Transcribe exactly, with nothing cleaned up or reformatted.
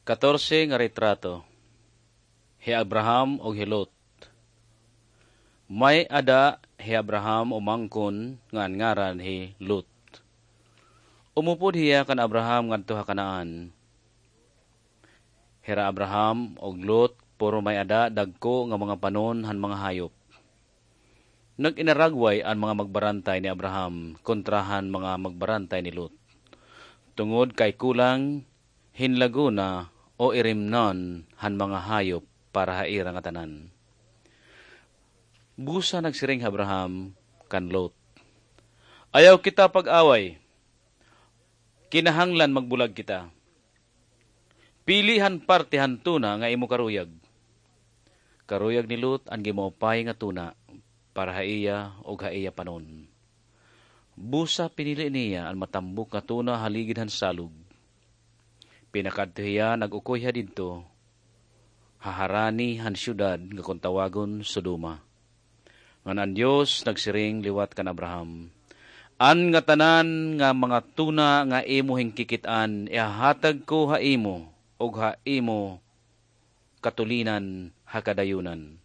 Katorse nga retrato. Hi Abraham ug hi Lot. May-ada hi Abraham umangkon nga an ngaran hi Lot. Umupod hiya kan Abraham ngadto ha Canaan. Hira Abraham ug Lot puro may-ada dagko nga mga panon han mga hayop. Nag-inaragway an mga magbarantay ni Abraham kontra han mga magbarantay ni Lot, tungod kay kulang hin laguna o irimnon han mga hayop para ha ira ngatanan. Busa nagsiring hi Abraham kan Lot, "Ayaw kita pag-away. Kinahanglan magbulag kita. Pili han parte han tuna nga imo karuyag." Karuyag ni Lot an gimaupay nga tuna para ha iya ug ha iya panon. Busa pinili niya an matambok nga tuna ha ligid han salog. Pinakadto hiya, nag-ukoy hiya didto ha harani han syudad nga kon tawagon Sodoma. Ngan an Dios nagsiring liwat kan Abraham, "An ngatanan nga mga tuna nga imo hinkikit-an ihahatag ko ha imo ug ha imo katulinan ha kadayunan."